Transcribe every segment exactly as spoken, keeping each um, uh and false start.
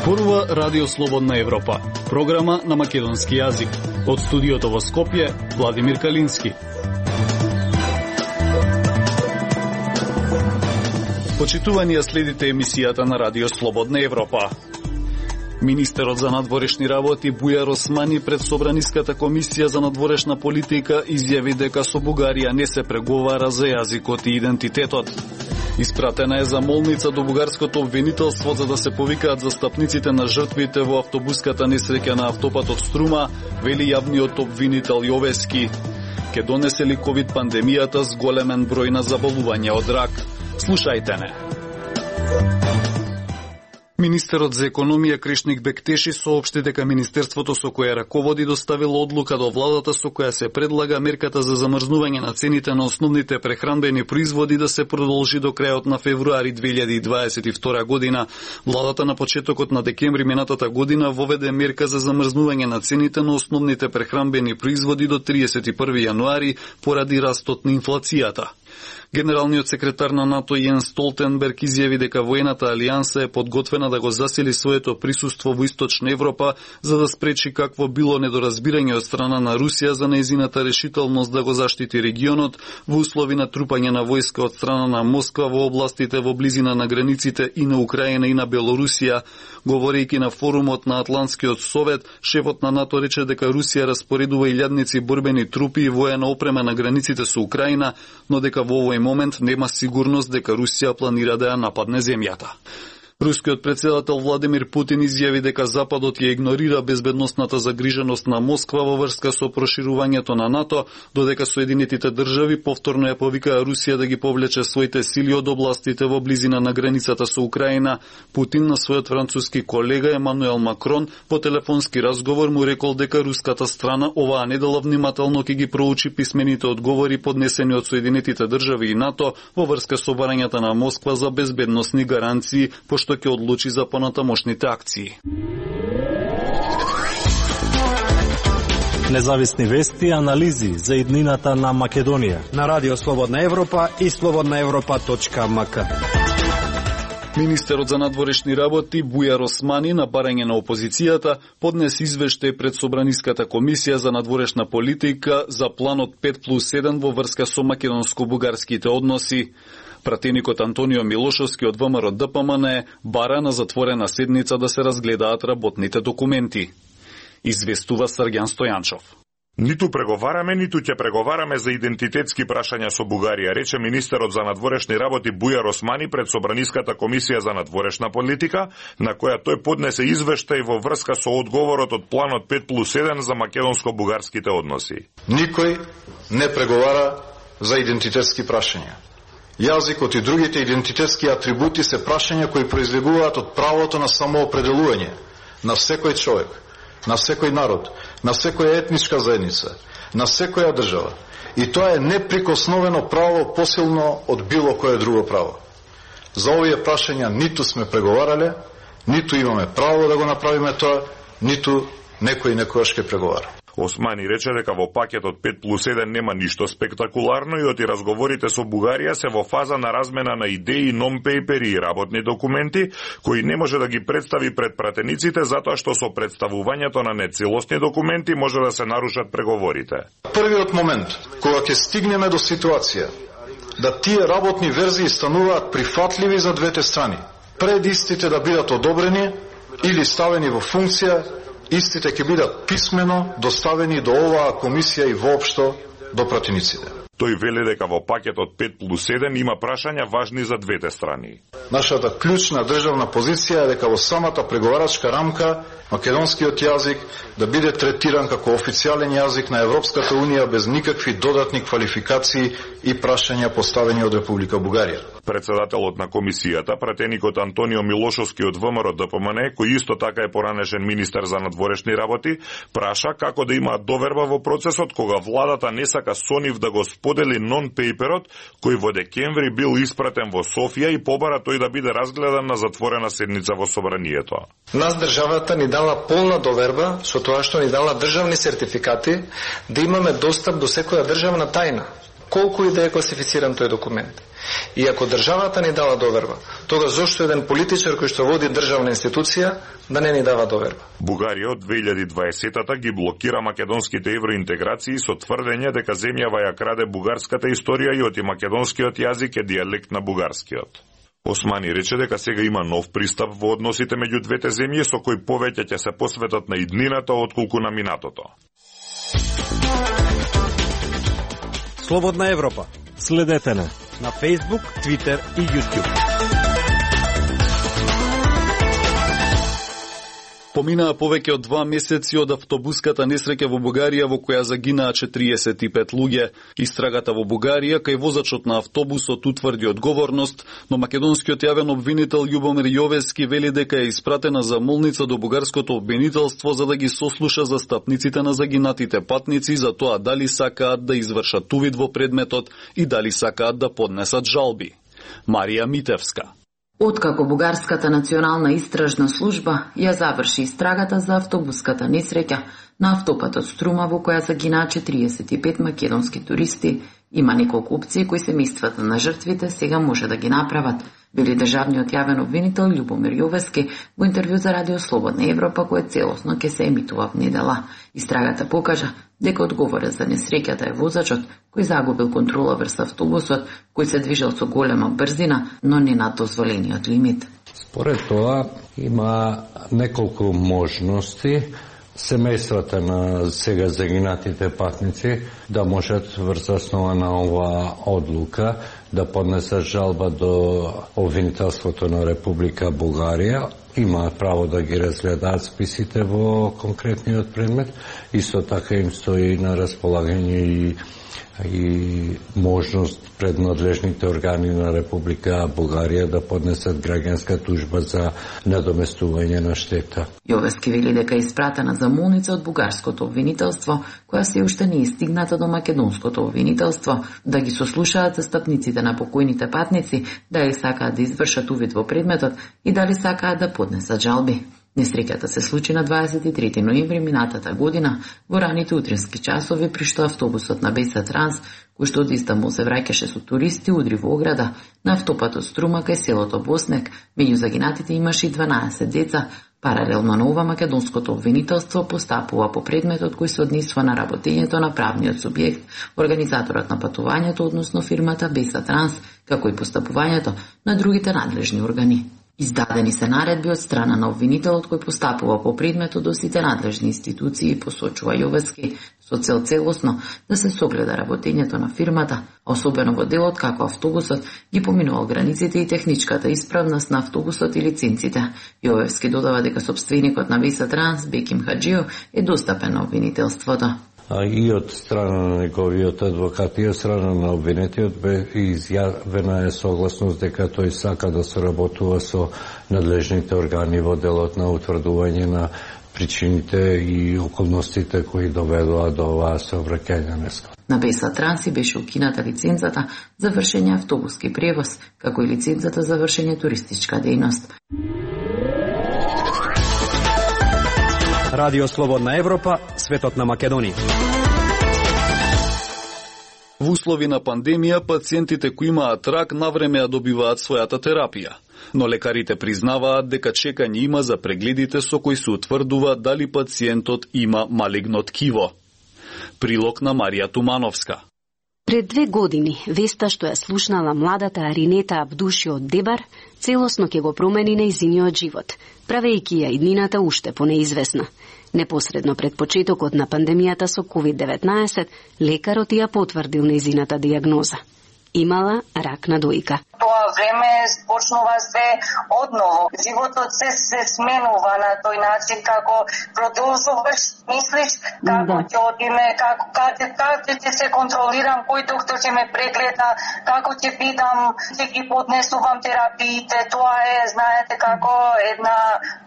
Зборува Радио Слободна Европа, програма на македонски јазик. Од студиото во Скопје, Владимир Калински. Почитувани, следите емисијата на Радио Слободна Европа. Министерот за надворешни работи Бујар Османи пред Собраниската комисија за надворешна политика изјави дека со Бугарија не се преговара за јазикот и идентитетот. Испратена е замолница до бугарското обвинителство за да се повикаат застапниците на жртвите во автобуската несреќа на автопатот Струма, вели јавниот обвинител Јовески. Ке донесе ли ковид пандемијата с големен број на заболувања од рак? Слушајте не. Министерот за економија Кришник Бектеши соопшти дека министерството со кое раководи доставило одлука до владата со која се предлага мерката за замрзнување на цените на основните прехранбени производи да се продолжи до крајот на февруари две илјади дваесет и втора година. Владата на почетокот на декември минатата година воведе мерка за замрзнување на цените на основните прехранбени производи до триесет и први јануари поради растот на инфлацијата. Генералниот секретар на НАТО Јенс Столтенберг изјави дека воената алијанса е подготвена да го засили своето присуство во Источна Европа за да спречи какво било недоразбирање од страна на Русија за нејзината решителност да го заштити регионот во услови на трупање на војска од страна на Москва во областите во близина на границите и на Украина и на Белорусија. Говорејќи на форумот на Атлантскиот совет, шефот на НАТО рече дека Русија распоредува илјадници борбени трупи и воена опрема на границите со Украина, но дека во овој момент нема сигурност дека Русија планира да ја нападне земјата. Рускиот председател Владимир Путин изјави дека Западот ја игнорира безбедносната загриженост на Москва во врска со проширувањето на НАТО, додека Соединетите држави повторно ја повикаа Русија да ги повлече своите сили од областите во близина на границата со Украина. Путин на својот француски колега Емануел Макрон по телефонски разговор му рекол дека руската страна оваа недела внимателно ќе ги проучи писмените одговори поднесени од Соединетите држави и НАТО во врска со барањата на Москва за безбедносни гаранции, што ќе одлучи за понатамошните акции. Независни вести и анализи за иднината на Македонија на Радио Слободна Европа и слободна европа точка ем ка. Министерот за надворешни работи Бујар Османи на барање на опозицијата поднесе извештај пред Собраниската комисија за надворешна политика за планот пет плюс еден во врска со македонско-бугарските односи. Пратеникот Антонио Милошовски од ВМРО Д П М Н бара на затворена седница да се разгледаат работните документи. Известува Срѓан Стојанчов. Ниту преговараме, ниту ќе преговараме за идентитетски прашања со Бугарија, рече министерот за надворешни работи Бујар Османи пред Собраниската комисија за надворешна политика, на која тој поднесе извештај во врска со одговорот од планот пет плюс еден за македонско-бугарските односи. Никој не преговара за идентитетски прашања. Јазикот и другите идентитетски атрибути се прашања кои произлегуваат од правото на самоопределување на секој човек, на секој народ, на секоја етничка заедница, на секоја држава. И тоа е неприкосновено право посилно од било кое друго право. За овие прашања ниту сме преговарале, ниту имаме право да го направиме тоа, ниту некој некојаш ќе преговара. Османи рече дека во пакетот пет плюс еден нема ништо спектакуларно и оти разговорите со Бугарија се во фаза на размена на идеи, нон-пейпери и работни документи, кои не може да ги представи пред пратениците затоа што со представувањето на нецелосни документи може да се нарушат преговорите. Првиот момент кога ќе стигнеме до ситуација да тие работни верзии стануваат прифатливи за двете страни, пред истите да бидат одобрени или ставени во функција, истите ќе бидат писмено доставени до оваа комисија и воопшто до пратениците. Тој вели дека во пакетот пет плюс еден има прашања важни за двете страни. Нашата клучна државна позиција е дека во самата преговарачка рамка македонскиот јазик да биде третиран како официјален јазик на Европската унија без никакви додатни квалификации и прашања поставени од Република Бугарија. Председателот на комисијата, пратеникот Антонио Милошовски од ВМРО Д П М Н, кој исто така е поранешен министер за надворешни работи, праша како да има доверба во процесот кога владата не сака со нив да го сподели нон-пейперот кој во декември бил испратен во Софија и побара тој да биде разгледан на затворена седница во собранието. Нас државата ни дала полна доверба со тоа што ни дала државни сертификати да имаме достап до секоја државна тајна. колку и да е класифициран тој документ. И ако државата ни дала доверба, тога зошто еден политичар кој што води државна институција да не ни дава доверба? Бугарија од две илјади и дваесета ги блокира македонските евроинтеграции со тврдење дека земјава ја краде бугарската историја и оти македонскиот јазик е дијалект на бугарскиот. Османи рече дека сега има нов пристап во односите меѓу двете земји со кој повеќе ќе се посветат на иднината отколку на минатото. Слободна Европа. Следете на на Facebook, Twitter и YouTube. Поминаа повеќе од два месеци од автобуската несреќа во Бугарија во која загинаа четириесет и пет луѓе. Истрагата во Бугарија кај возачот на автобусот утврди одговорност, но македонскиот јавен обвинител Љубомир Јовески вели дека е испратена замолница до бугарското обвинителство за да ги сослуша застапниците на загинатите патници за тоа дали сакаат да извршат увид во предметот и дали сакаат да поднесат жалби. Марија Митевска. Откако Бугарската национална истражна служба ја заврши истрагата за автобуската несреќа на автопатот Струма во која загинаа четириесет и пет македонски туристи, има неколку опции кои семејствата на жртвите сега може да ги направат, вели државниот јавен обвинител Љубомир Јовески во интервју за Радио Слободна Европа кој целосно ќе се емитува в недела. Истрагата покажа дека одговорен за несреќата е возачот кој загубил контрола врз автобусот, кој се движел со голема брзина, но не над дозволениот лимит. Според тоа има неколку можности семејствата на сега загинатите патници да можат врз основа на оваа одлука да поднесат жалба до обвинителството на Република Бугарија. Имаат право да ги разгледаат списите во конкретниот предмет. Исто така им стои на располагање и и можност пред надлежните органи на Република Бугарија да поднесат граѓанска тужба за надоместување на штета. Јовески вели дека е испратена замолница од бугарското обвинителство, која се уште не е стигната до македонското обвинителство, да ги сослушаат застапниците на покојните патници, дали сакаат да извршат увид во предметот и дали сакаат да поднесат жалби. Несреќата се случи на дваесет и трети ноември минатата година во раните утрински часови, при што автобусот на Беса Транс, кој што од Истанбул се враќаше со туристи, удри во ограда на автопатот Струма кај селото Боснек. Меѓу загинатите имаше и дванаесет деца. Паралелно на ова, македонското обвинителство постапува по предметот кој се однесува на работењето на правниот субјект, организаторот на патувањето, односно фирмата Беса Транс, како и постапувањето на другите надлежни органи. Издадени се наредби од страна на обвинителот кој постапува по предметот до сите надлежни институции, посочува Јовески, со цел целосно да се согледа работењето на фирмата, особено во делот како автобусот ги поминувал границите и техничката исправност на автобусот и лиценците. Јовески додава дека собственикот на Беса Транс, Беким Хаджио, е достапен на обвинителството. А и од страна на неговиот адвокат и од страна на обвинетиот бе изјавена е согласност дека тој сака да соработува со надлежните органи во делот на утврдување на причините и околностите кои доведоа до оваа сообраќајна неска. На Беса Транси беше укината лицензата за вршење автобуски превоз, како и лицензата за вршење туристичка дејност. Радио Слободна Европа, светот на Македонија. Во услови на пандемија, пациентите кои имаат рак навреме ја добиваат својата терапија. Но лекарите признаваат дека чекање има за прегледите со кои се утврдува дали пациентот има малигно ткиво. Прилог на Марија Тумановска. Пред две години, веста што ја слушнала младата Аринета Абдуши од Дебар, целосно ќе го промени нејзиниот живот, правејќи ја иднината уште понеизвестна. Непосредно пред почетокот на пандемијата со ковид деветнаесет, лекарот ја потврдил нејзината дијагноза. Имала рак на дојка. Тоа време почнува се одново. Животот се се сменува на тој начин како продолжуваш, мислиш како ќе да. Одиме, како каде каде ќе се контролирам, кој доктор ќе ме прегледа, како ќе бидам, ќе ги поднесувам терапиите. Тоа е, знаете, како една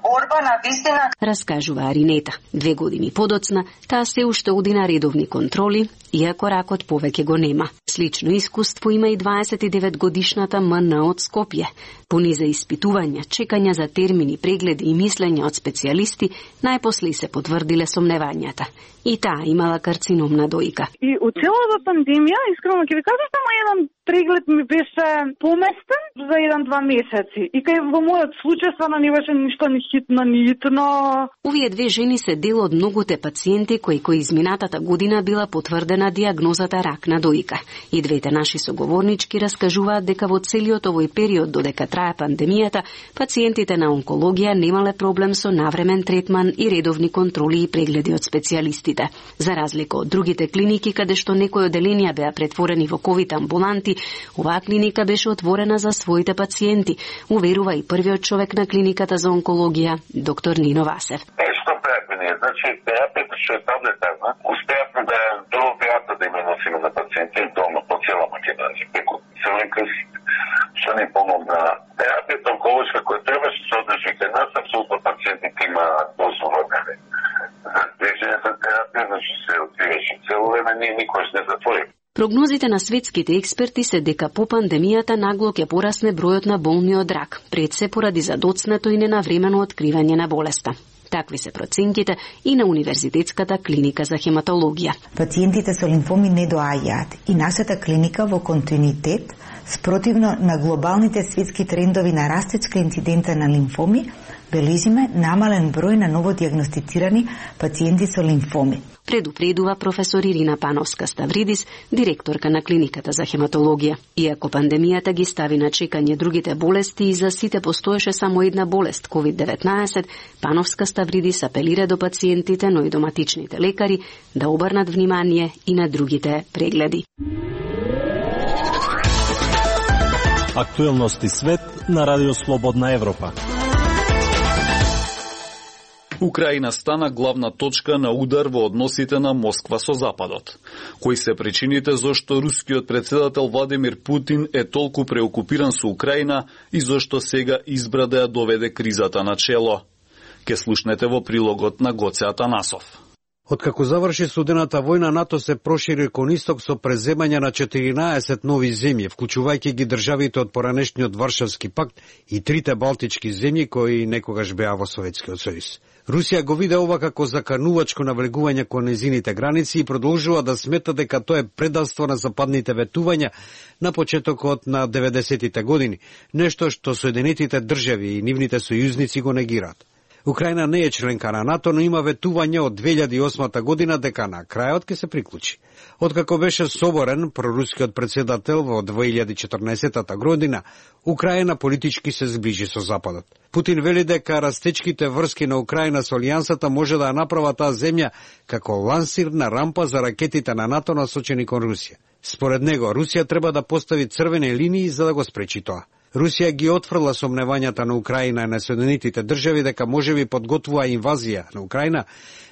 борба на вистина. Раскажува Аринета. Две години подоцна, таа се уште оди на редовни контроли, иако ракот повеќе го нема. Слично искуство има и дваесет и девет годишната М Н од Скопје. По низа испитувања, чекања за термини, прегледи и мислења од специјалисти, најпосле се потврдиле сомневањата. и таа имала карцином на дојка. И од целата пандемија, искрено ќе ви кажам, само еден преглед ми беше поместен за еден-два месеци. И кај во мојот случај стварно не беше ништо ни хитно, ни итно. Овие две жени се дел од многуте пациенти кои кои изминатата година била потврдена диагнозата рак на дојка. И двете наши соговорнички раскажуваат дека во целиот овој период додека трае пандемијата, пациентите на онкологија немале проблем со навремен третман и редовни контроли и прегледи од специјалистите. За разлика од другите клиники каде што некои оделенија беа претворени во ковид амбуланти, оваа клиника беше отворена за своите пациенти, уверува и првиот човек на клиниката за онкологија, доктор Нино Васев. Е, што правиме ние? Значи, терапијата што е таблетарна, успеавме да до опијата да има носиме на пациенти дома по цела Македонија, преку Црвен крст, што ни помогна. Терапијата онколошка која требаше да се одржи кај нас, апсолутно пациентите имаат дозволено. За движењето терапија, значи се откриваше цело време, ние никош не затворим. Прогнозите на светските експерти се дека по пандемијата нагло ќе порасне бројот на болни од рак, пред се поради задоцнато и ненавремено откривање на болеста. Такви се проценките и на Универзитетската клиника за хематологија. Пациентите со лимфоми не доаѓаат и нашата клиника во континуитет, спротивно на глобалните светски трендови на растечка инциденца на лимфоми, бележиме намален број на новодиагностицирани пациенти со лимфоми. Предупредува професор Ирина Пановска-Ставридис, директорка на клиниката за хематологија. Иако пандемијата ги стави на чекање другите болести и за сите постоеше само една болест, ковид деветнаесет, Пановска-Ставридис апелира до пациентите, но и доматичните лекари да обрнат внимание и на другите прегледи. Актуелности свет на Радио Слободна Европа. Украина стана главна точка на удар во односите на Москва со Западот. Кои се причините зошто рускиот председател Владимир Путин е толку преокупиран со Украина и зошто сега избра да ја доведе кризата на чело? Ке слушнете во прилогот на Гоце Атанасов. Откако заврши студената војна, НАТО се прошири кон исток со преземање на четиринаесет нови земји, вклучувајќи ги државите од поранешниот Варшавски пакт и трите балтички земји кои некогаш беа во Советскиот сојуз. Русија го виде ова како заканувачко навлегување кон незините граници и продолжува да смета дека тоа е предавство на западните ветувања на почетокот на деветдесетите години, нешто што Соединетите држави и нивните сојузници го негираат. Украина не е членка на НАТО, но има ветување од две илјади и осма година дека на крајот ќе се приклучи. Откако беше соборен прорускиот председател во две илјади и четрнаесетта година, Украина политички се зближи со Западот. Путин вели дека растечките врски на Украина со Алијансата може да ја направа таа земја како лансирна рампа за ракетите на НАТО насочени кон Русија. Според него, Русија треба да постави црвени линии за да го спречи тоа. Русија ги отфрла сомневањата на Украина и на Соединетите држави дека можеби подготвува инвазија на Украина,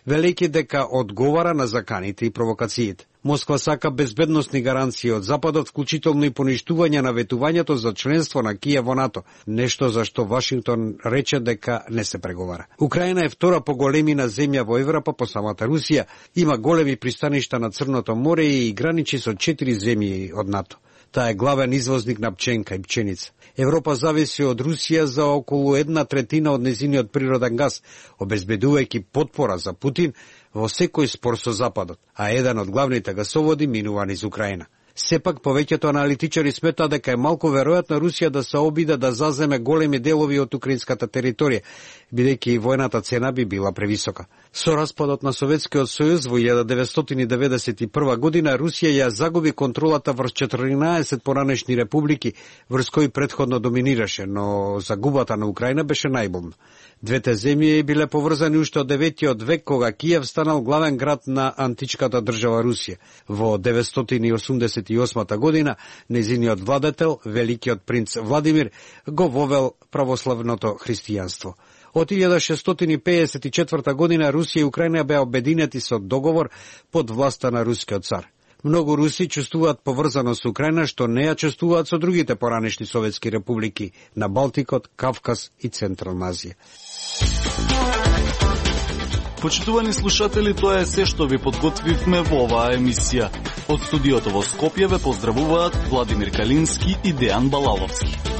велејќи дека одговара на заканите и провокациите. Москва сака безбедносни гаранции од Западот, вклучително и поништување на ветувањето за членство на Киев во НАТО, нешто за што Вашингтон рече дека не се преговара. Украина е втора по големина земја во Европа по самата Русија, има големи пристаништа на Црното море и граничи со четири земји од НАТО. Таа е главен извозник на пченка и пченица. Европа зависи од Русија за околу една третина од незиниот природен газ, обезбедувајќи потпора за Путин во секој спор со Западот, а еден од главните гасоводи минува низ Украина. Сепак, повеќето аналитичари сметаат дека е малку веројатно Русија да се обиде да заземе големи делови од украинската територија, бидејќи војната цена би била превисока. Со распадот на Советскиот сојуз во илјада деветстотини деветдесет и прва година Русија ја загуби контролата врз четиринаесет поранешни републики, врз кои претходно доминираше, но загубата на Украина беше најболна. Двете земји биле поврзани уште од деветиот век, кога Киев станал главен град на античката држава Русија. Во деветстотини и осумдесет и осма година незиниот владетел, великиот принц Владимир, го вовел православното христијанство. Од илјада шестстотини пеесет и четврта година Русија и Украина беа обединети со договор под власта на рускиот цар. Многу руси чувствуваат поврзано со Украина, што не ја чувствуваат со другите поранешни советски републики на Балтикот, Кавказ и Централна Азија. Почитувани слушатели, тоа е се што ви подготвивме во оваа емисија. Од студиото во Скопје ве поздравуваат Владимир Калински и Дејан Балаловски.